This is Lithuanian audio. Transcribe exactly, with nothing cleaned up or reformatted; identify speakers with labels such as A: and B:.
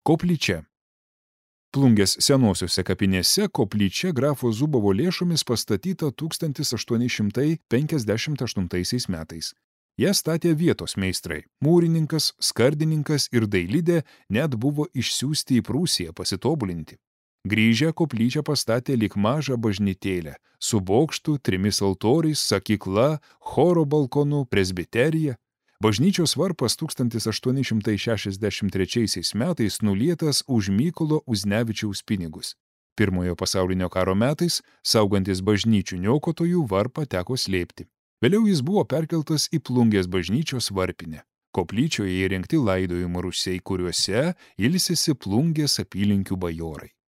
A: Koplyčia. Plungės senosiuose kapinėse koplyčia grafo Zubovo lėšomis pastatyta tūkstantis aštuoni šimtai penkiasdešimt aštuntaisiais metais. Ją statė vietos meistrai. Mūrininkas, skardininkas ir dailidė net buvo išsiųsti į Prūsiją pasitobulinti. Grįžę koplyčią pastatė lyg mažą bažnytėlę, su bokštu, trimis altoriais, sakykla, choro balkonu, presbiterija. Bažnyčios varpas tūkstantis aštuoni šimtai šešiasdešimt trečiaisiais metais nulietas už Mykolo Uznevičiaus pinigus. Pirmojo pasaulinio karo metais, saugantis bažnyčių niokotojų, varpą teko slėpti. Vėliau jis buvo perkeltas į Plungės bažnyčios varpinę. Koplyčioje įrengti laidojimo rūsiai, kuriuose ilsisi Plungės apylinkių bajorai.